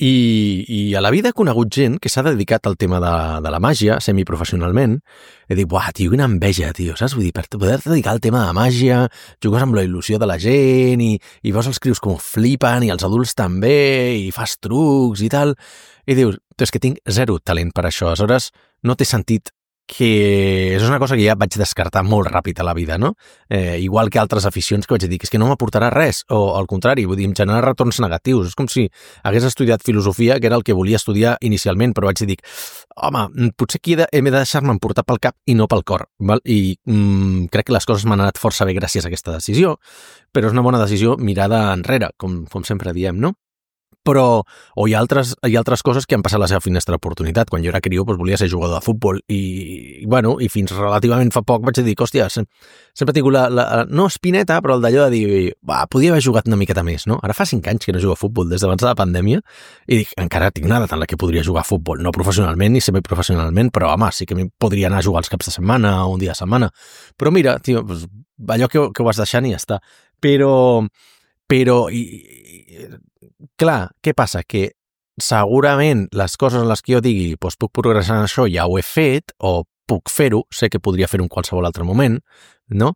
I, i a la vida he conegut gent que s'ha dedicat al tema de, de la màgia semiprofessionalment. He dit, buah, tio, quina enveja, tio, saps? Vull dir, per poder dedicar al tema de màgia, jugues amb la il·lusió de la gent i, i veus els crios com flipen i els adults també i fas trucs i tal. I dius, és que tinc zero talent per això. Aleshores, no té sentit que és una cosa que ja vaig descartar molt ràpid a la vida, no? Eh, igual que altres aficions que vaig dir que és que no m'aportarà res, o al contrari, vull dir, em genera retorns negatius. És com si hagués estudiat filosofia, que era el que volia estudiar inicialment, però vaig dir, home, potser aquí he de, he de deixar-me emportar pel cap i no pel cor, val? I mm, crec que les coses m'han anat força bé gràcies a aquesta decisió, però és una bona decisió mirada enrere, com, com sempre diem, no? Però o hi ha, altres, hi ha altres coses que han passat la seva finestra d'oportunitat. Quan jo era crió doncs volia ser jugador de futbol i, i, bueno, i fins relativament fa poc vaig dir, hòstia, sempre he tingut la, la, no espineta, però el d'allò de dir, va, podia haver jugat una miqueta més, no? Ara fa cinc anys que no jugo a futbol, des d'abans de la pandèmia, i dic, encara tinc una edat en la que podria jugar a futbol, no professionalment ni semiprofessionalment, però home, sí que podria anar a jugar els caps de setmana o un dia a setmana. Però mira, tio, doncs, allò que, que ho vas deixant i ja està. Però, però i, i, clar, què passa? Que segurament les coses en les que jo digui doncs puc progressar en això, ja ho he fet, o puc fer-ho, sé que podria fer-ho en qualsevol altre moment, no?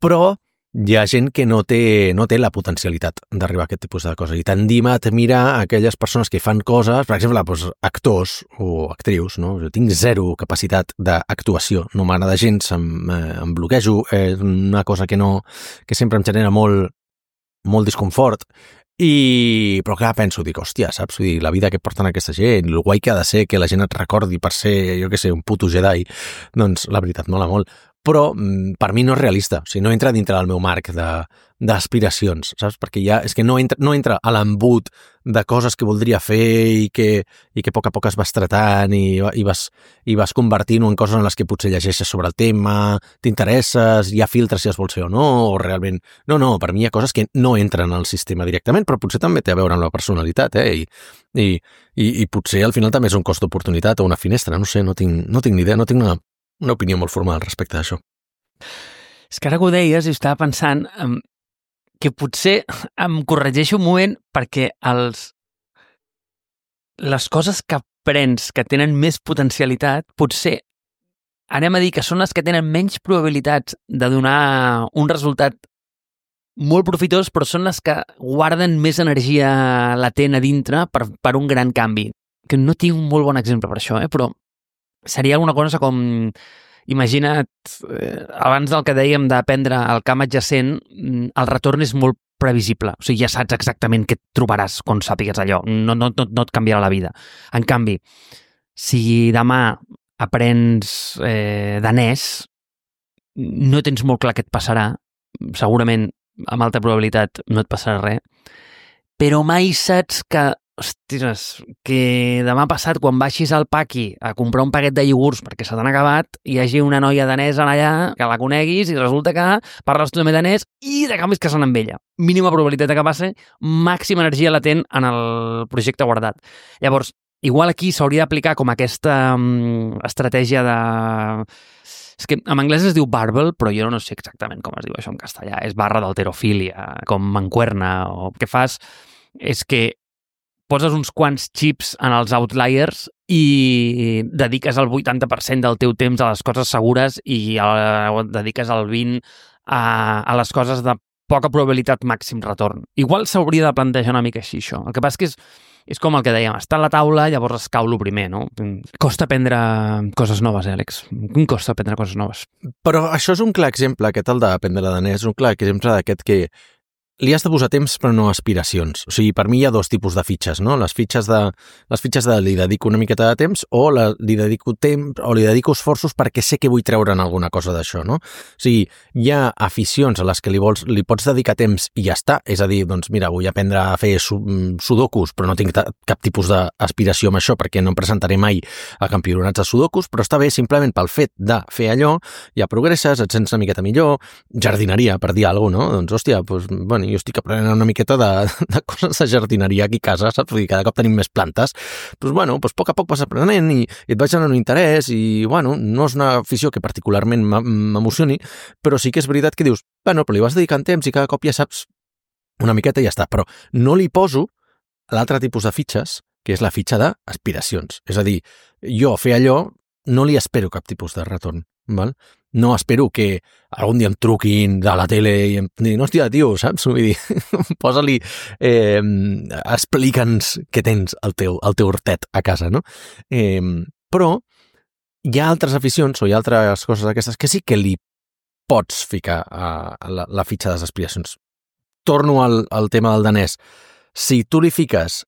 Però hi ha gent que no té, no té la potencialitat d'arribar a aquest tipus de coses. I tendim a admirar aquelles persones que fan coses, per exemple, doncs, actors o actrius, no? Jo tinc zero capacitat d'actuació, no m'agrada gens, em, eh, em bloquejo, és una cosa que, no, que sempre em genera molt, molt disconfort. I, però clar, penso, dic, hòstia, saps? Vull dir, la vida que porten aquesta gent, el guai que ha de ser que la gent et recordi per ser, jo què sé, un puto Jedi, doncs la veritat mola molt. Però per mi no és realista, o sigui, no entra dintre del meu marc d'aspiracions, saps? Perquè ja és que no entra, no entra a l'embut de coses que voldria fer i que, i que a poc a poc es vas tratant i, i vas, i vas convertint-ho en coses en les que potser llegeixes sobre el tema, t'interesses, hi ha filtres si es vol ser o no, o realment... No, no, per mi hi ha coses que no entren al sistema directament, però potser també té a veure amb la personalitat, eh? I, i, i, i potser al final també és un cost d'oportunitat o una finestra, no sé, no tinc, no tinc ni idea, no tinc una... una opinió molt formal respecte a això. És que ara que ho deies i estava pensant um, que potser em corregeixo un moment perquè els, les coses que aprens que tenen més potencialitat potser anem a dir que són les que tenen menys probabilitats de donar un resultat molt profitós, però són les que guarden més energia latent a dintre per, per un gran canvi. Que no tinc un molt bon exemple per això, eh? Però seria alguna cosa com, imagina't, eh, abans del que dèiem d'aprendre el camp adjacent, el retorn és molt previsible. O sigui, ja saps exactament què et trobaràs quan sàpigues allò. No, no, no, no et canviarà la vida. En canvi, si demà aprens eh, danès, no tens molt clar què et passarà. Segurament, amb alta probabilitat, no et passarà res. Però mai saps que ostres, que demà passat, quan baixis al paqui a comprar un paquet de iogurts perquè se t'han acabat, hi hagi una noia danesa allà que la coneguis i resulta que parles tu també danès i de canvi es casen amb ella. Mínima probabilitat de que passi, màxima energia latent en el projecte guardat. Llavors, igual aquí s'hauria d'aplicar com aquesta um, estratègia de... És que en anglès es diu barbell, però jo no sé exactament com es diu això en castellà. És barra d'alterofília, com mancuerna, o el que fas és que poses uns quants chips en els outliers i dediques el vuitanta per cent del teu temps a les coses segures i el, dediques el vint per cent a, a les coses de poca probabilitat màxim retorn. Igual s'hauria de plantejar una mica així, això. El que passa és que és, és com el que dèiem, està a la taula, llavors es cau lo primer, no? Costa aprendre coses noves, eh, Àlex? Costa aprendre coses noves. Però això és un clar exemple, aquest el d'aprendre danès, és un clar exemple d'aquest que li has de posar temps però no aspiracions. O sigui, per mi hi ha dos tipus de fitxes, no? Les fitxes de, les fitxes de li dedico una miqueta de temps o la, li dedico temps o li dedico esforços perquè sé que vull treure'n alguna cosa d'això, no? O sigui, hi ha aficions a les que li, vols, li pots dedicar temps i ja està. És a dir, doncs mira, vull aprendre a fer sudokus, però no tinc cap tipus d'aspiració amb això perquè no em presentaré mai a campionats de sudokus, però està bé simplement pel fet de fer allò, ja progresses, et sents una miqueta millor, jardineria, per dir alguna cosa, no? Doncs, hòstia, doncs, bueno, jo estic aprenent una miqueta de, de coses de jardineria aquí a casa, saps? Vull dir, cada cop tenim més plantes. Doncs, bueno, doncs, a poc a poc vas aprenent i, i et vaig donant un interès i, bueno, no és una afició que particularment m'emocioni, però sí que és veritat que dius, bueno, però li vas dedicant temps i cada cop ja saps una miqueta i ja està. Però no li poso l'altre tipus de fitxes, que és la fitxa d'aspiracions. És a dir, jo fer allò no li espero cap tipus de retorn, val? No espero que algun dia em truquin de la tele i em diguin, hòstia, tio, saps? Vull dir, posa-li, eh, explica'ns què tens al teu, al teu hortet a casa, no? Eh, però hi ha altres aficions o hi ha altres coses d'aquestes que sí que li pots ficar a, a la, la fitxa de les aspiracions. Torno al, al tema del danès. Si tu li fiques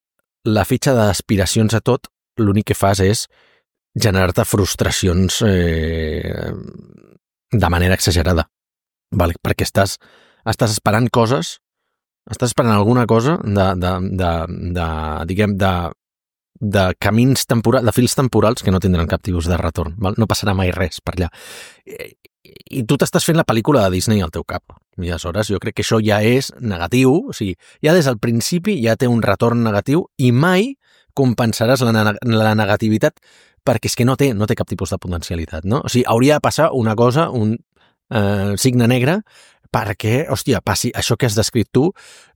la fitxa d'aspiracions a tot, l'únic que fas és generar-te frustracions eh, de manera exagerada, vale? Perquè estàs, estàs esperant coses, estàs esperant alguna cosa de, de, de, de diguem, de, de camins temporals, de fils temporals que no tindran cap tipus de retorn, val? No passarà mai res per allà. I, i tu t'estàs fent la pel·lícula de Disney al teu cap. I aleshores jo crec que això ja és negatiu, o sigui, ja des del principi ja té un retorn negatiu i mai compensaràs la, la negativitat perquè és que no té, no té cap tipus de potencialitat, no? O sigui, hauria de passar una cosa, un eh, signe negre, perquè, hòstia, passi això que has descrit tu,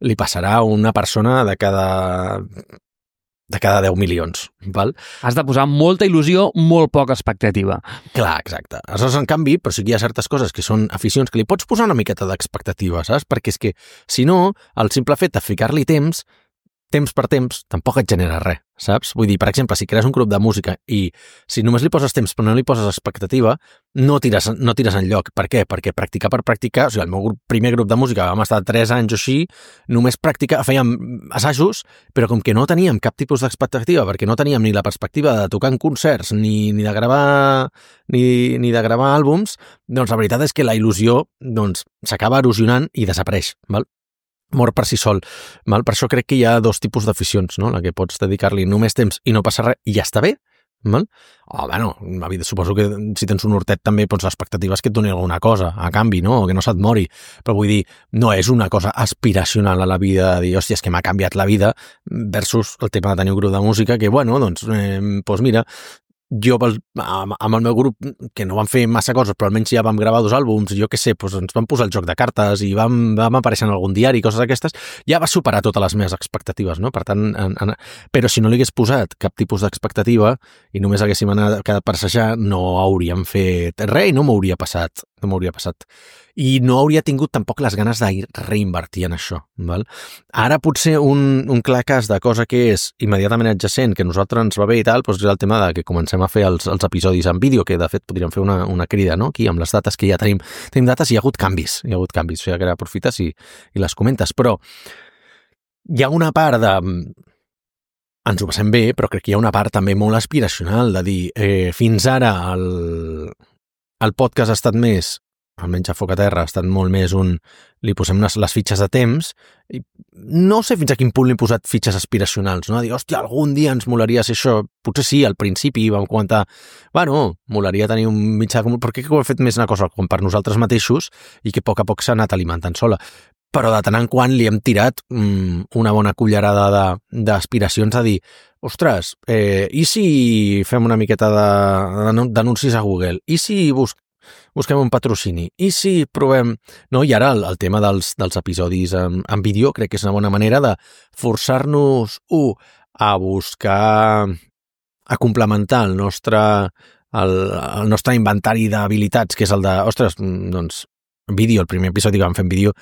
li passarà a una persona de cada, de cada deu milions, val? Has de posar molta il·lusió, molt poca expectativa. Clar, exacte. Aleshores, en canvi, però sí que hi ha certes coses que són aficions que li pots posar una miqueta d'expectativa, saps? Perquè és que, si no, el simple fet de ficar-li temps, temps per temps, tampoc et genera res, saps? Vull dir, per exemple, si crees un grup de música i si només li poses temps però no li poses expectativa, no tires, no tires enlloc. Per què? Perquè practicar per practicar, o sigui, el meu grup, primer grup de música vam estar tres anys o així, només practicar, fèiem assajos, però com que no teníem cap tipus d'expectativa, perquè no teníem ni la perspectiva de tocar en concerts, ni, ni de gravar ni, ni de gravar àlbums, doncs la veritat és que la il·lusió doncs, s'acaba erosionant i desapareix, val? Mor per si sol. Val? Per això crec que hi ha dos tipus d'aficions, no? La que pots dedicar-li només temps i no passa res i ja està bé. Val? Oh, bueno, la vida, suposo que si tens un hortet també doncs, l'expectativa és que et doni alguna cosa a canvi, no? O que no se't mori. Però vull dir, no és una cosa aspiracional a la vida de dir, hòstia, és que m'ha canviat la vida versus el tema de tenir un grup de música que, bueno, doncs, eh, doncs mira, jo amb el meu grup, que no vam fer massa coses, però almenys ja vam gravar dos àlbums, jo què sé, doncs ens vam posar el joc de cartes i vam, vam aparèixer en algun diari, coses d'aquestes, ja va superar totes les meves expectatives, no? Per tant, en, en, però si no li hagués posat cap tipus d'expectativa i només haguéssim anat quedat per assajar, no hauríem fet res i no m'hauria passat, no m'hauria passat. I no hauria tingut tampoc les ganes de reinvertir en això. Val? Ara potser un, un clar cas de cosa que és immediatament adjacent, que a nosaltres ens va bé i tal, doncs és el tema de que comencem a fer els, els episodis en vídeo, que de fet podríem fer una, una crida, no? Aquí amb les dates que ja tenim. Tenim dates i hi ha hagut canvis, hi ha hagut canvis, o sigui que ara aprofites i, i les comentes, però hi ha una part de... Ens ho passem bé, però crec que hi ha una part també molt aspiracional de dir, eh, fins ara el, el podcast ha estat més, almenys a Foc a Terra, ha estat molt més un... Li posem les, les fitxes de temps i no sé fins a quin punt li he posat fitxes aspiracionals, no? A dir, hòstia, algun dia ens molaria ser això. Potser sí, al principi vam comentar, bueno, molaria tenir un mitjà comú, perquè ho he fet més una cosa com per nosaltres mateixos i que a poc a poc s'ha anat alimentant sola. però de tant en quant li hem tirat mm, una bona cullerada de- d'aspiracions a dir, ostres, eh, i si fem una miqueta de- d'anuncis a Google? I si bus busquem un patrocini? I si provem... No? I ara el, el tema dels, dels episodis en, en vídeo crec que és una bona manera de forçar-nos, u, a buscar, a complementar el nostre, el, el nostre inventari d'habilitats, que és el de, ostres, doncs, vídeo, el primer episodi que vam fer en vídeo,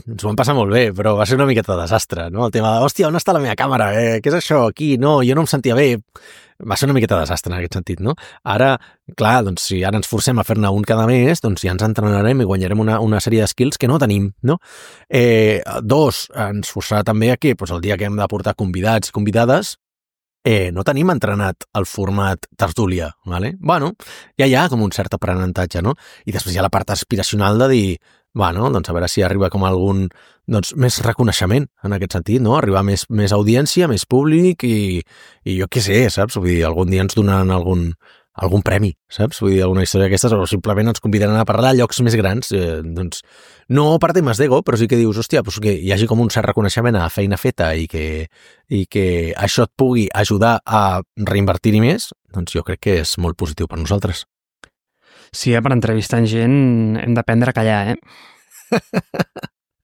ens ho vam passar molt bé, però va ser una miqueta de desastre, no? El tema de, hòstia, on està la meva càmera? Eh, què és això? Aquí? No, jo no em sentia bé. Va ser una miqueta de desastre en aquest sentit, no? Ara, clar, doncs si ara ens forcem a fer-ne un cada mes, doncs ja ens entrenarem i guanyarem una, una sèrie de skills que no tenim, no? Eh, dos, ens forçarà també a que doncs, el dia que hem de portar convidats i convidades Eh, no tenim entrenat el format tertúlia, ¿vale? Bueno, ja hi ha com un cert aprenentatge, no? I després hi ha la part aspiracional de dir, bueno, doncs a veure si arriba com algun, doncs, més reconeixement en aquest sentit, no? Arribar més, més audiència, més públic i, i jo què sé, saps? Vull dir, algun dia ens donaran algun, algun premi, saps? Vull dir, alguna història d'aquestes, o simplement ens convidaran a parlar a llocs més grans, eh, doncs, no per temes d'ego, però sí que dius, hòstia, doncs que hi hagi com un cert reconeixement a feina feta i que, i que això et pugui ajudar a reinvertir-hi més, doncs jo crec que és molt positiu per nosaltres. Sí, eh, per entrevistar gent hem d'aprendre a callar, eh?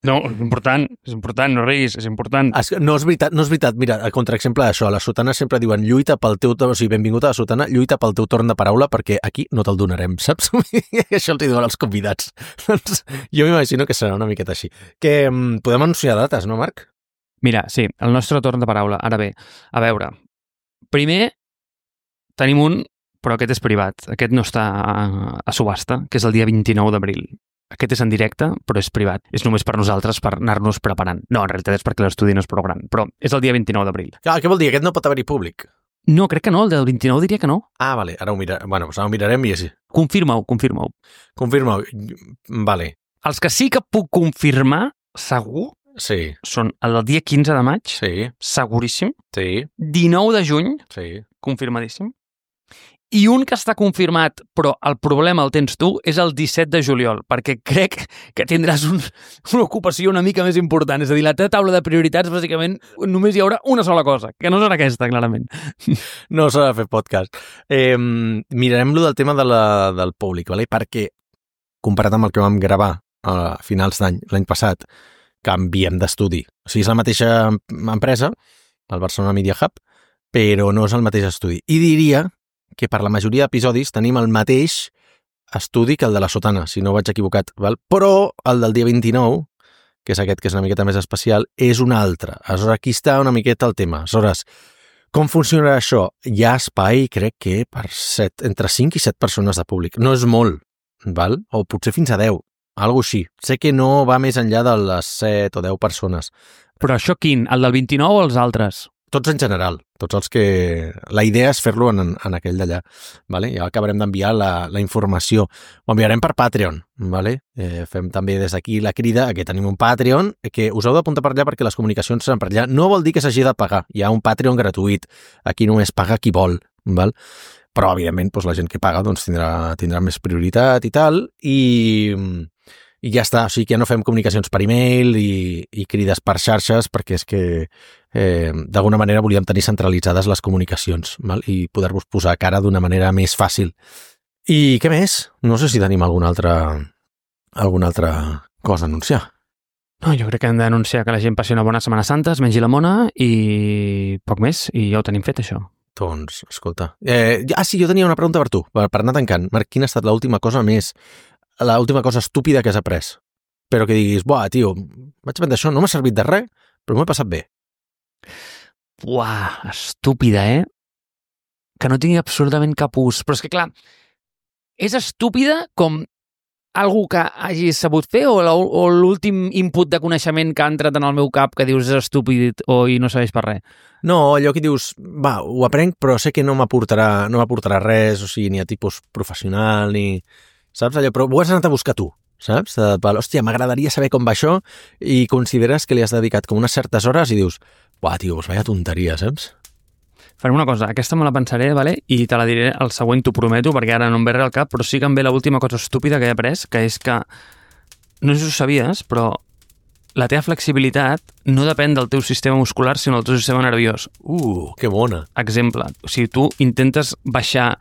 No, és important, és important, no riguis, és important. Es, no és veritat, no és veritat. Mira, a contraexemple d'això, a la sotana sempre diuen lluita pel teu... O sigui, benvingut a la sotana, lluita pel teu torn de paraula perquè aquí no te'l donarem, saps? Això els diuen als convidats. Doncs jo m'imagino que serà una miqueta així. Que um, podem anunciar dates, no, Marc? Mira, sí, el nostre torn de paraula. Ara bé, a veure, primer tenim un, però aquest és privat. Aquest no està a, a subhasta, que és el dia vint-i-nou d'abril. Aquest és en directe, però és privat. És només per nosaltres, per anar-nos preparant. No, en realitat és perquè l'estudi no és prou gran, però és el dia vint-i-nou d'abril. Ah, què vol dir? Aquest no pot haver-hi públic? No, crec que no, el del vint-i-nou diria que no. Ah, vale, ara ho mirarem. Bueno, doncs ara ho mirarem i així. Confirma-ho, confirma-ho. Confirma-ho. Vale. Els que sí que puc confirmar, segur, Sí, són el del dia quinze de maig, sí, seguríssim, sí, dinou de juny, sí. confirmadíssim, i un que està confirmat, però el problema el tens tu, és el disset de juliol, perquè crec que tindràs un, una ocupació una mica més important. És a dir, la teva taula de prioritats, bàsicament, només hi haurà una sola cosa, que no serà aquesta, clarament. No s'ha de fer podcast. Eh, mirarem lo del tema de la, del públic, vale? Perquè, comparat amb el que vam gravar a finals d'any, l'any passat, canviem d'estudi. O sigui, és la mateixa empresa, el Barcelona Media Hub, però no és el mateix estudi. I diria que per la majoria d'episodis tenim el mateix estudi que el de la sotana, si no vaig equivocat, val? Però el del dia vint-i-nou, que és aquest que és una miqueta més especial, és un altre. Aleshores, aquí està una miqueta el tema. Aleshores, com funcionarà això? Hi ha espai, crec que, per set, entre cinc i set persones de públic. No és molt, val? O potser fins a deu, algo així. Sé que no va més enllà de les set o deu persones. Però això quin? El del vint-i-nou o els altres? Tots en general, tots els que... La idea és fer-lo en, en aquell d'allà, vale? Ja acabarem d'enviar la, la informació. Ho enviarem per Patreon, vale? Eh, fem també des d'aquí la crida que tenim un Patreon, que us heu d'apuntar per allà perquè les comunicacions seran per allà. No vol dir que s'hagi de pagar, hi ha un Patreon gratuït, aquí només paga qui vol, val? Però evidentment doncs, la gent que paga doncs, tindrà, tindrà més prioritat i tal, i... I ja està, o sigui que ja no fem comunicacions per e-mail i, i crides per xarxes perquè és que eh, d'alguna manera volíem tenir centralitzades les comunicacions, val? I poder-vos posar cara d'una manera més fàcil. I què més? No sé si tenim alguna altra, alguna altra cosa a anunciar. No, jo crec que hem d'anunciar que la gent passi una bona Setmana Santa, es mengi la mona i poc més, i ja ho tenim fet, això. Doncs, escolta... Eh, ah, sí, jo tenia una pregunta per tu, per, per anar tancant. Marc, quina ha estat l'última cosa més... l'última cosa estúpida que has après, però que diguis, buah, tio, vaig aprendre això, no m'ha servit de res, però m'ho he passat bé. Buah, estúpida, eh? Que no tingui absolutament cap ús. Però és que, clar, és estúpida com algú que hagis sabut fer o l'últim input de coneixement que ha entrat en el meu cap que dius és estúpid o i no serveix per res? No, allò que dius, va, ho aprenc, però sé que no m'aportarà no m'aportarà res, o sigui, ni a tipus professional, ni... Saps allò? Però ho has anat a buscar tu, saps? De, hòstia, m'agradaria saber com va això i consideres que li has dedicat com unes certes hores i dius, buah, tio, pues vaya tonteria, saps? Farem una cosa, aquesta me la pensaré, vale? I te la diré al següent, t'ho prometo, perquè ara no em ve res al cap, però sí que em ve l'última cosa estúpida que he après, que és que, no sé si ho sabies, però la teva flexibilitat no depèn del teu sistema muscular, sinó del teu sistema nerviós. Uh, que bona. Exemple, si tu intentes baixar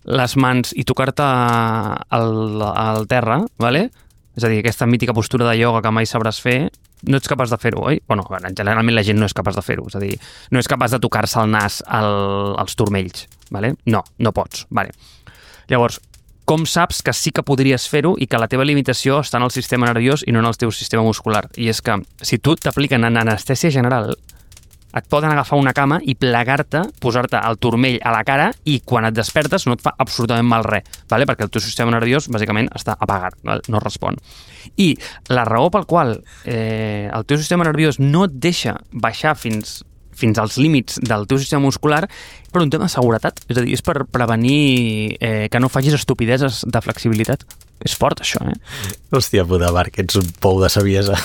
les mans i tocar-te al, al terra, ¿vale? És a dir, aquesta mítica postura de ioga que mai sabràs fer, no ets capaç de fer-ho, oi? Bueno, generalment la gent no és capaç de fer-ho, és a dir, no és capaç de tocar-se el nas al, als turmells, ¿vale? No, no pots, ¿vale? Llavors, com saps que sí que podries fer-ho i que la teva limitació està en el sistema nerviós i no en el teu sistema muscular? I és que si tu t'apliquen en anestèsia general, et poden agafar una cama i plegar-te, posar-te el turmell a la cara i quan et despertes no et fa absolutament mal res, ¿vale? Perquè el teu sistema nerviós bàsicament està apagat, ¿vale? No respon. I la raó pel qual eh, el teu sistema nerviós no et deixa baixar fins, fins als límits del teu sistema muscular per un tema de seguretat, és a dir, és per prevenir eh, que no facis estupideses de flexibilitat. És fort, això, eh? Hòstia puta, Marc, ets un pou de saviesa.